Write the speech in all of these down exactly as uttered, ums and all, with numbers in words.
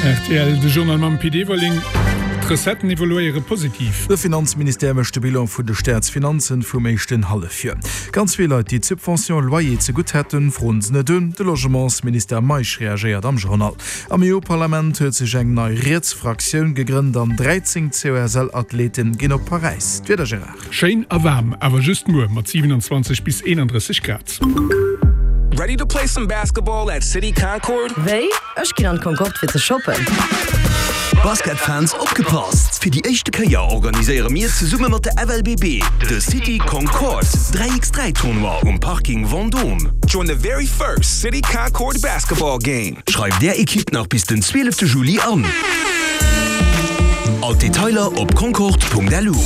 Rtl, De Journal mam Pit Everling. D'Recetten evoluéiere positiv. De Finanzministère mécht de Bilan vun de Staatsfinanzen vum éischten Hallefjoer. Ganz vill Leit, déi d'Subvention loyer zegutt hätten, froen se net un. De Logementsminister Meisch reagéiert am Journal. Am EU-Parlament huet sech eng nei riets Fraktioun gegrënnt an dräizéng C O S L-Athleten ginn op Paräis. D'Wieder, Gérard. Schéin a waarm, awer just muer mat siwenanzwanzeg bis eenandrësseg Grad. Ready to play some basketball at City Concorde? Wéi? Ech ginn an d'Concorde fir ze shoppen. Basketfans opgepasst! Fir déi éischte Kéier organiséiere mir zesumme mat der F L B B de City Concorde dräi géint dräi Tournoi um Parking Vendôme. Join the very first City Concorde basketball game. Schreift är Ekipp nach bis den zwielefte Juli an. All d'Detailer op concorde Punkt L U.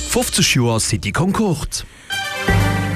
fofzeg Joer City Concorde.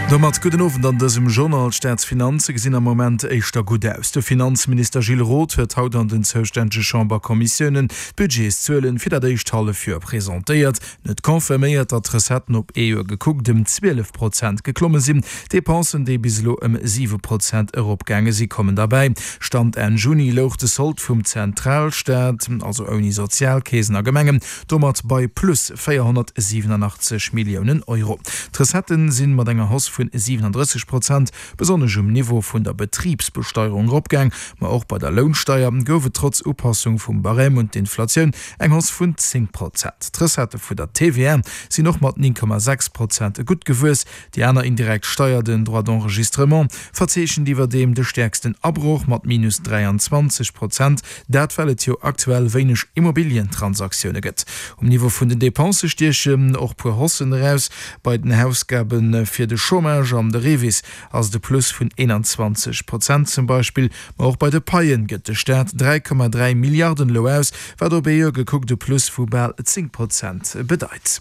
Domat gudden Owend an dësem Journal. D'Staatsfinanze gesinn am Moment éischter gutt aus. De Finanzminister Gilles Roth huet haut an den zoustännege Chamberkommissiounen d'Budgetszuelen fir dat éischt Hallefjoer presentéiert. En huet confirméiert, datt d'Recetten op ee Joer gekuckt ëm zwielef Prozent geklomme sinn. D'Depensen, déi bis elo ëm siwe Prozent eropgaange si, kommen derbäi. Stand Enn Juni louch de Sold vum Zentralstaat, also ouni Sozialkeesen a Gemengen, domat bei plus véierhonnertsiwenanachtzeg Milliounen Euro. D'Recetten si mat enger Hausse vun siwenandrësseg Prozent besonnesch um Niveau vun der Betribsbesteierung eropgaang, ma och bei der Lounsteier gouf et trotz Upassung vum Barème un d'Inflatioun eng Hausse vun zéng Prozent. D'Recettë vun der T V A sinn och mat néng Komma sechs Prozent gutt gewuess. Déi aner indirekt Steier, den Droit d'enregistrement, verzeechent iwwerdeem de stäerksten Abroch mat minus dräianzwanzeg Prozent, dat well et jo aktuell wéineg Immobilientransaktioune gëtt. Um Niveau vun den Depensë stiechen och puer Haussen eraus. Bei den Ausgabe fir de Chômage an de REVIS ass de Plus vun eenanzwanzeg Prozent zum Beispill, ma och bei de Paien gëtt de Staat dräi Komma dräi Milliarden elo aus, wat op ee Joer gekuckt e Plus vu bal zéng Prozent bedeit.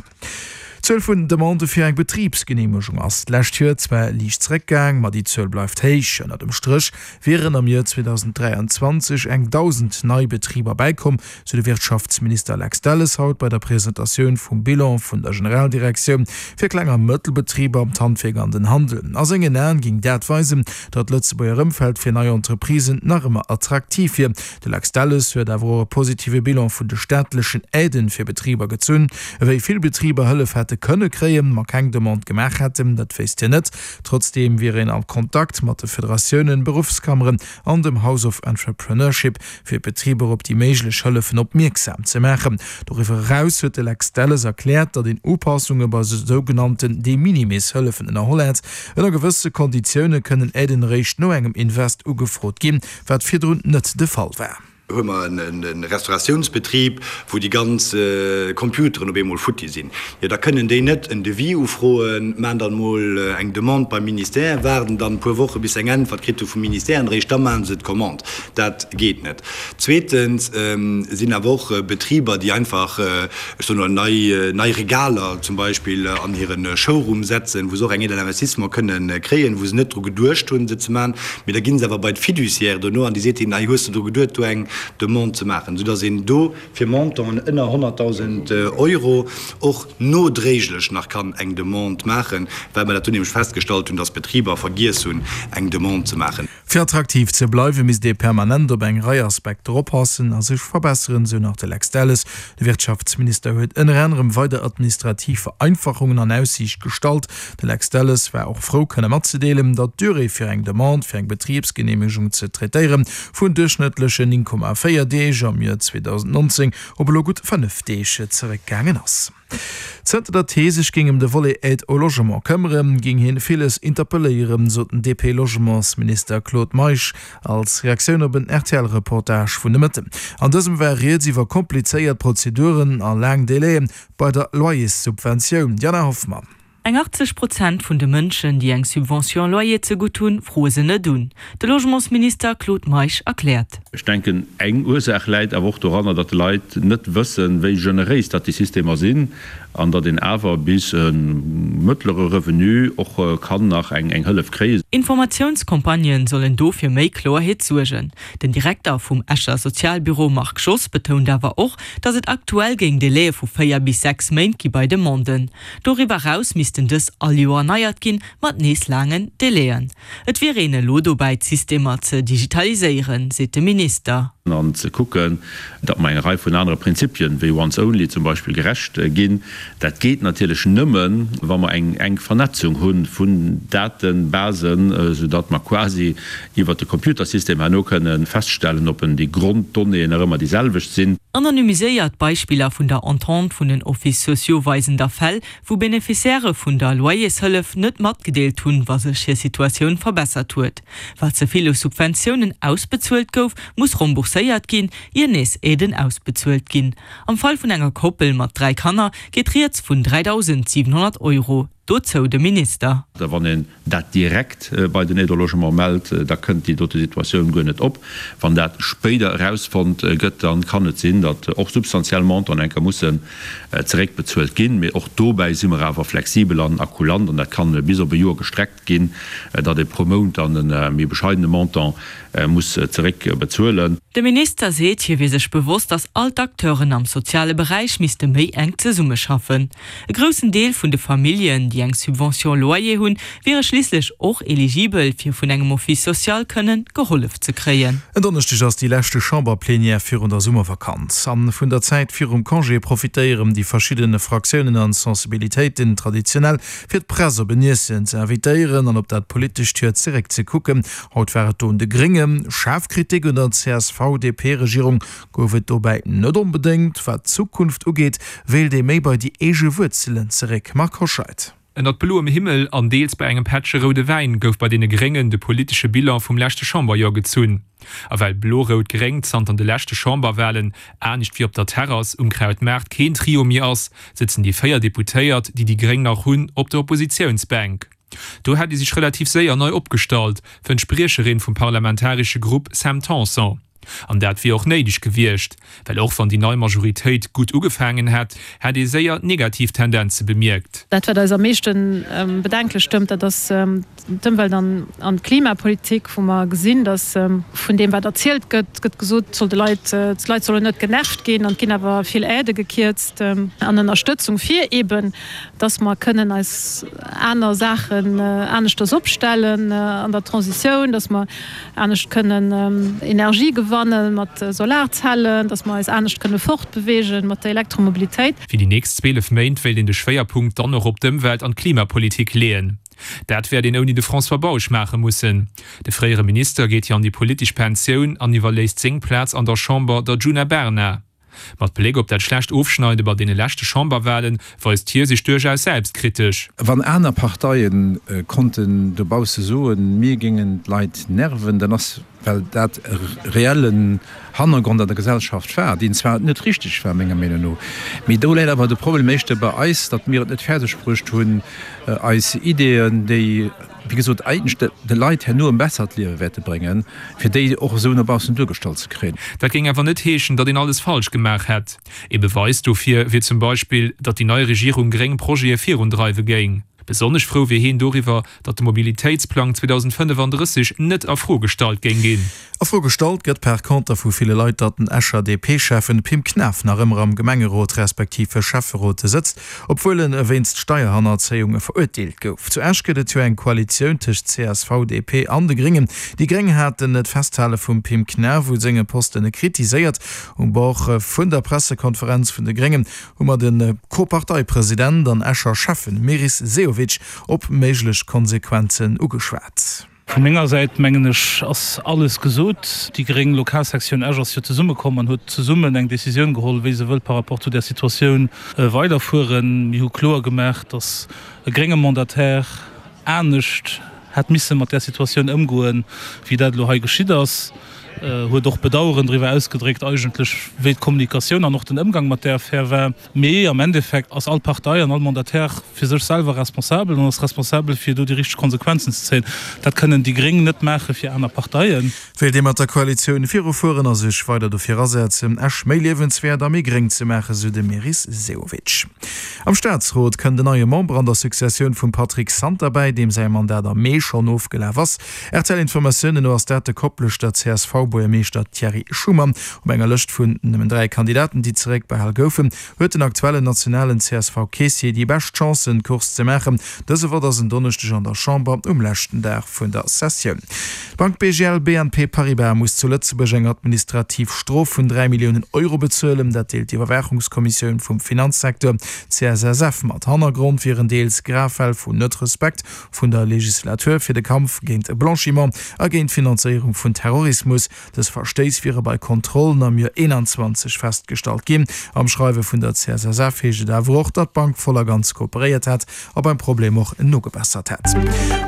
D'Zuel vun Demandë fir eng Betribsgeneemegung ass d'lescht Joer zwar liicht zeréckgaang, ma déi Zuel bleift héich. Ënner dem Stréch wieren am Joer zweedausend dräianzwanzeg eng dausend nei Betriber bäikomm, sou de Wirtschaftsminister Lex Delles haut bei der Presentatioun vum Bilan vun der Generaldirektioun fir Kleng a Mëttelbetriber, d'Handwierk an den Handel. A sengen Aen géing dat weisen, datt d'Lëtzebuerger Ëmfeld fir nei Entreprisen nach ëmmer attraktiv wier. De Lex Delles huet awer och e positive Bilan vun de staatlechen Aiden fir Betriber gezunn. Wéi vill Betriber Hëllef hätte kënne kréien, ma keng Demande gemaach hätten, dat wéisst hien net. Trotzdeem wier een a Kontakt mat de Federatiounen, Beruffskammeren an dem House of Entrepreneurship, fir d'Betriber op déi méiglech Hëllefen opmierksam ze maachen. Doriwwer eraus huet de Lex Delles erkläert, datt een Upassunge bei sougenannten De-minimis-Hëllefen ënnerholl hätt. Ënner gewësse Konditioune kënnen Aiden eréischt no engem Invest ugefrot ginn, wat virdrun net de Fall war. Hu mer e Restauratiounsbetrib, wou déi ganz Computeren op eemol futti sinn, jo da kënnen déi net en Devis ufroen, maachen dann mol eng Demande beim Ministère, waarden dann e puer Woche bis se eng Äntwert kritt hu vum Ministère an eréischt da maache se d'Commande. Dat geet net. Zweetens sinn awer och Betriber, déi einfach, ech soen elo, nei nei Regaler zum Beispill an hire Showroom setzen, wou se och eng Aide à l'investissement kënnen kréien, wou se net dru geduecht hunn se ze maachen, mee da gi se awer bei d'Fiduciaire dono an déi seet hinnen, hei hues de dru geduet do eng Demande ze maachen, soudass een do fir Montanten ënner honnertdausend Euro och nodréiglech nach kann eng Demande maachen, well mer dat do nämlech festgestallt hunn, dass Betriber vergiess hunn, eng Demande ze maachen. Fir attraktiv ze bleiwen, misst ee permanent op eng Rei Aspekter oppassen a sech verbesseren, sou nach de Lex Delles. De Wirtschaftsminister huet ënner anerem weider administrativ Vereinfachungen an Aussiicht gestallt. De Lex Delles war och frou kënne matzedeelen, datt d'Durée fir eng Demande fir eng Betribsgeneemegung ze traitéieren, vun duerchschnëttlechen néng Komma véier Deeg am Joer zweedausendnonzéng op elo gutt fënnef Deeg zeréckgaangen ass. Zënter datt hie sech géing ëm de Volet Aide au logement këmmeren, géing hien villes interpelléieren, sot den D P-Logementsminister Claude Meisch als Reaktioun op en R T L-Reportage vun de Mëtten. An dësem war rieds iwwer komplizéiert Prozeduren a laang Délaië bei der Loyerssubventioun. Diana Hoffmann. Eng achtzeg Prozent vun de Mënschen, déi eng Subvention loyer zegutt hunn, froe se net un. De Logementsminister Claude Meisch erkläert. Ech denken, eng Ursaach läit awer och doranner, datt d'Leit net wëssen, wéi generéis datt déi Systemer sinn. an datt een awer bis e mëttlere Revenu och kann nach eng Hëllef kréien. Informatiounscampagnen sollen do fir méi Kloerheet suergen. Den Direkter vum Escher Sozialbüro Marc Schoss betount awer och, datt et aktuell géing Delaie vu véier bis sechs Méint gi bei Demanden. Doriwwer eraus missten dës all Joer erneiert ginn, mat nees laangen Delaien. Et wier een elo dobäi d'Systemer ze digitaliséieren, seet de Minister. An ze kucken, datt mer enger Rei vun anere Prinzipien, wéi once only zum Beispill, gerecht ginn. Dat geet natierlech nëmmen, wa mer eng enk Vernetzung hu vun Datebasen, soudatt mer quasi iwwert de Computersystem herno kënne feststellen, ob en déi Gronddonnéeën nach ëmmer déi selwecht sinn. Anonymiséiert Beispiller vun der Entente vun den Offices sociaux weisen da Fäll, wou Beneficiairë vun der Loyershëllef net matgedeelt hunn, wa sech hir Situatioun verbessert huet. Wat ze vill u Subventiounen ausbezuelt gouf, muss rembourséiert ginn, ier nees Aiden ausbezuelt ginn. Am Fall vun enger Koppel mat dräi Kanner geet rieds vun dräidausendsiwenhonnert Euro. Dozou de Minister. Wann een dat direkt bei den Aide au logement mellt, da kënnt déi dote Situatioun guer net op. Wann dat spéider erausfonnt gëtt, da kann et sinn, datt och substantiell Montanten eng Kéier mussen zeréckbezuelt ginn. Mee och dobäi si mer awer flexibel an a kulant an dat kann bis op e Joer gestreckt ginn, datt ee pro Mount dann e méi bescheidene Montant muss zeréckbezuelen. De Minister seet, hie wier sech bewosst, datt all d'Acteuren am soziale Beräich misste méi enk zesummeschaffen. E groussen Deel vun de Familljen, déi eng Subvention loyer hunn, wiere schliisslech och eligibel, fir vun engem Office social kënnen gehollef ze kréien. En Donneschdeg ass déi leschte Chamberplenière virun der Summervakanz. An vun der Zäit virum Congé profitéieren déi verschidden Fraktiounen an Sensibilitéiten traditionell, fir d'Press op en Iessen ze invitéieren an op dat politescht Joer zeréck ze kucken. Haut war et do un de Gréngen. Schaarf Kritik un der C S V D P-Regierung gouf et dobäi net onbedéngt. Wat d'Zukunft ugeet, wéilt ee méi bei déi eege Wuerzelen zeréck. Marc Hoscheid. Ënnert bloem Himmel an deels bei engem Pättche roude Wäin gouf bei deene Gréngen de politesche Bilan vum leschte Chamberjoer gezunn. A well Blo-Rout-Gréng zanter de leschte Chamberwalen, anescht wéi op der Terrass um Krautmaart, keen Trio méi ass, sëtzen déi véier Deputéiert, déi déi Gréng nach hunn, op der Oppositiounsbänk. Do hätt ee sech relativ séier nei opgestallt, fënnt d'Spriecherin vum parlamentaresche Grupp Sam Tanson. An dat wier och néideg gewiescht, well och wann déi nei Majoritéit gutt ugefaangen hätt, hätt ee séier negativ Tendenze bemierkt. Dat wat eis am meeschte bedenklech stëmmt, dat ass d'Ëmwelt an d'Klimapolitik, wou mer gesinn, datt vun deem wat erzielt gëtt, gëtt gesot, soll de Leit, d'Leit sollen net genervt ginn an et ginn awer vill Aidë gekierzt an Ënnerstëtzung fir eeben, datt mer kënnen eis aner Saachen aneschters opstellen an der Transitioun, datt mer anescht kënnen Energie gewanne mat Solarzellen, datt mer eis anescht kënne fortbeweegen mat der Elektromobilitéit. Fir déi nächst zwielef Méint wéilt een de Schwéierpunkt dann och op d'Ëmwelt an d'Klimapolitik leeën. Dat wäert een ouni de François Bausch maache mussen. De fréiere Minister geet jo an déi politesch Pensioun an iwwerléisst seng Plaz an der Chamber der Djuna Bernard. Mat Bléck op dat schlecht Ofschneide bei deene leschte Chamberwalen weist hie sech duerchaus selbstkritesch. Wann aner Parteie konnten dobausse soen, mir géingen d'Leit nerven, dann ass well dat e reellen Hannergrond an der Gesellschaft war, deen zwar net richteg war, menger Meenung no. Mee do läit awer de Problem éischter bei eis, datt mir et net fäerdeg bruecht hunn, eis Ideeën, déi, wéi gesot, eigentlech de Leit herno e bessert Liewe wäerte bréngen, fir déi och esou no baussen duergestallt ze kréien. Dat géing awer net heeschen, datt een alles falsch gemaach hätt. Ee Beweis dofir wier zum Beispill, datt déi nei Regierung gréng Projete virundreiwe géing. Besonnesch frou wier hien doriwwer, datt de Mobilitéitsplang zweedausendfënnefandrësseg net a Fro gestallt géing ginn. A Fro gestallt gëtt par conter vu ville Leit, datt den Escher D P-Schäffen Pim Knaff nach ëmmer am Gemengerot respektiv Schäfferot sëtzt, obwuel en wéinst Steierhannerzéiung verurteelt gouf. Zu Esch gëtt et jo eng Koalitioun tëscht C S V, D P an de Gréngen. Déi Gréng haten d'Festhale vum Pim Knaff u senge Posten kritiséiert. Um Bord vun der Pressekonferenz vun de Gréngen hu mer de Co-Parteipresident an Escher Schäffen Meris Sehovic op méiglech Konsequenzen ugeschwat. Vu menger Säit, mengen ech, ass alles gesot. Déi gréng Lokalsektioun Esch ass jo zesummekomm an huet zesummen eng Decisioun geholl, wéi se wëllt par rapport zu där Situatioun weiderfueren. Mir hu kloer gemaach, datt e grénge Mandataire anescht hätt misse mat där Situatioun ëmgoen, wéi dat elo hei geschitt ass. huet och Bedaueren driwwer ausgedréckt eigentlech, wéi d'Kommunikatioun an och den Ëmgang mat där Affär war. Mee am Endeffekt ass all Partei an all Mandataire fir sech selwer responsabel an ass responsabel, fir do déi richteg Konsequenzen ze zéien. Dat kënnen déi Gréng net maache fir aner Parteien. Wéilt ee mat der Koalitioun virufueren a sech weider dofir asetzen, Esch méi liewenswäert a méi gréng ze maachen, sou de Meris Sehovic. Am Staatsrot kënnt en neie Member an der Successioun vum Patrick Santer bäi, deem säi Mandat am Mee schonn ofgelaf ass. R T L-Informatiounen no ass dat de Kopleschter C S V-Buergermeeschter Thierry Schumann. Op enger Lëscht vun nëmmen dräi Kandidaten, déi zeréckbehal goufen, huet den aktuellen nationalen C S V-Keessier déi bescht Chancen, d'Course ze maachen. Dëse Vott ass en Donneschdeg an der Chamber um leschten Dag vun der Sessioun. D'Bank B G L B N P Paribas muss zu Lëtzebuerg eng administrativ Strof vun dräi Milliounen Euro bezuelen. Dat deelt d'Iwwerwaachungskommissioun vum Finanzsecteur, C S S F, mat. Hannergrond wieren deels grav Fäll vun Net-Respekt vun der Legislatur fir de Kampf géint Blanchiment a géint d'Finanzéierung vun Terrorismus. Dës Verstéiss wiere bei Kontrollen am Joer eenanzwanzeg festgestallt ginn. Am Schreiwe vun der C S S F heescht et awer och, datt d'Bank voll a ganz kooperéiert hätt a beim Problem och nogebessert hätt.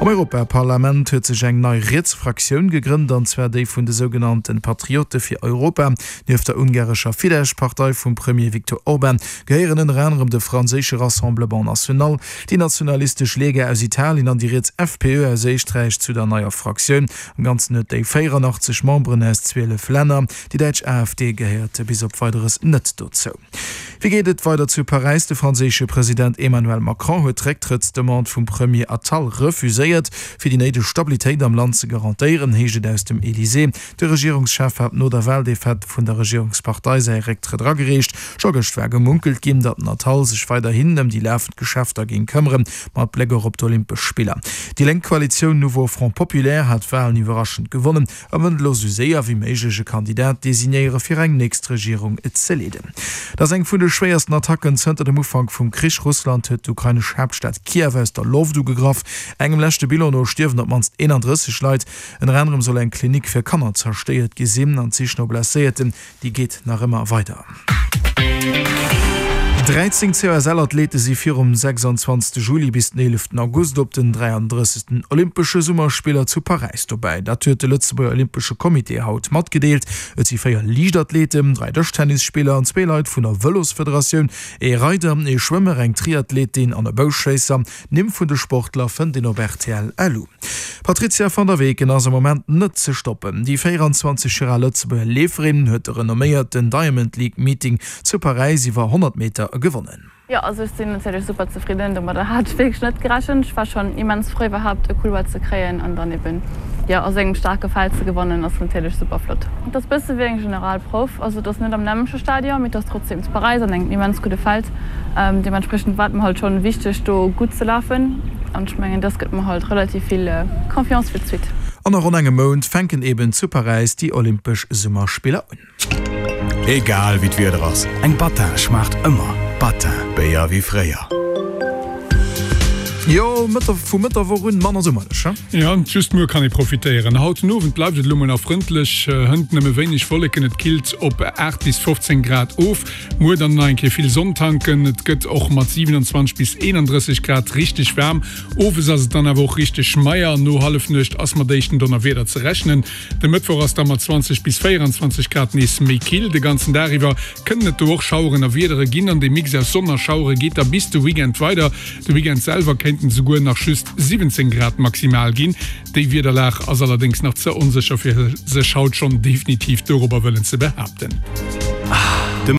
Am Europaparlament huet sech eng nei riets Fraktioun gegrënnt, an zwar déi vun de sougenannte Patriote fir Europa. Nieft der ungarescher Fidesz-Partei vum Premier Viktor Orban gehéieren ënner anerem de franséische Rassemblement National, déi nationalistesch Lega aus Italien an déi riets F P Ö aus Éisträich zu der neier Fraktioun. Am Ganzen huet déi véieranaachtzeg Memberen aus zwielef Länner. Déi däitsch A F D gehéiert bis op Weideres net dozou. Wéi geet et weider zu Paräis? De franséische President Emmanuel Macron huet d'Récktrëttsdemande vum Premier Attal refuséiert, fir déi néideg Stabilitéit am Land ze garantéieren, heescht et aus dem Elysée. De Regierungschef hat no der Waldefaite vun der Regierungspartei säi Récktrëtt agereecht. Scho gëscht war gemunkelt ginn, datt den Attal sech weiderhin ëm déi lafend Geschäfter géing këmmeren, mat Bléck och op d'Olympesch Spiller. Déi lénk Koalitioun Nouveau Front Populaire hat d'Walen iwwerraschend gewonnen a wëllt elo sou séier wéi méiglech e Kandidat designéiere fir eng nächst Regierung ze leeden. Dat ass eng vun de schwéiersten Attacken zënter dem Ufank vum Krich. Russland huet d'ukrainesch Haaptstad Kiew aus der Loft ugegraff. Engem leschte Bilan no stierwen op d'mannst eenandrësseg Leit. Ënner anerem soll eng Klinik fir Kanner zerstéiert gi sinn an d'Sich no Blesséierten, déi geet nach ëmmer weider. Dräizéng C O S L-Athlete si virum sechsanzwanzegste Juli bis den eeleften August op den dräiandrëssegsten Olympesche Summerspiller zu Paräis dobäi. Dat huet de Lëtzebuerger Olympesche Comité haut matgedeelt. Et si véier Liichtathleten, dräi Dëschtennisspiller an zwee Leit vun der Vëlosfederatioun, ee Reider, ee Schwëmmer, eng Triathletin an e Bouschéisser. D'Nimm vun de Sportler fënnt een op R T L L U. D'Patrizia van der Weken ass am Moment net ze stoppen. Déi véieranzwanzeg Joer al Lëtzebuerger Leeferin huet de renomméierten Diamond League Meeting zu Paräis iwwer honnert Meter gewonnen. Jo, also ech sinn natierlech super zefridden. Domadder hat ech wierklech net gerechent. Ech war schonn immens frou iwwerhaapt e Couloir ze kréien an dann eben jo a sou engem staarke Feld ze gewannen ass natierlech super flott. Et ass bësse wéi eng Generalprouf, also et ass net am nämmleche Stadion, mee et ass trotzdem zu Paräis an engem immens gudde Feld. Deementspriechend war et mer halt schonn wichteg do gutt ze lafen an ech mengen dass gëtt mer halt relativ vill Confiance fir d'Suite. An a ronn engem Mount fänken eben zu Paräis déi Olympesch Summerspiller un. Egal wéi d'Wieder ass, eng Battin schmaacht ëmmer. Battin, Béier wéi fréier. Jo, Mëtter, vu Mëtt der Woch un manner summerlech, he? Jo, just muer kann ee profitéieren. Haut den Owend bleift et elo mol nach frëndlech, hënt nëmme wéineg Wolleken, et killt op aacht bis fofzéng Grad of. Muer dann nach eng Kéier vill Sonn tanken, et gëtt och mat siewenundzwanzeg bis eenandrësseg Grad richteg waarm. Owes ass et dann awer och richteg meier, no Hallefnuecht ass mat éischten Donnerwieder ze rechnen. De Mëttwoch ass da mat zwanzeg bis véierundzwanzeg Grad nees méi kill. De ganzen Dag iwwer kënnen et do och Schaueren a Wiedere ginn an de Mix aus Sonn a Schauere geet da bis de Weekend weider. De Weekend selwer kéinten souguer nach just siwwenzéng Grad maximal ginn. Déi Wiederlag ass allerdéngs nach ze onsécher fir sech haut schonn definitiv dorobber wëllen ze behaapten.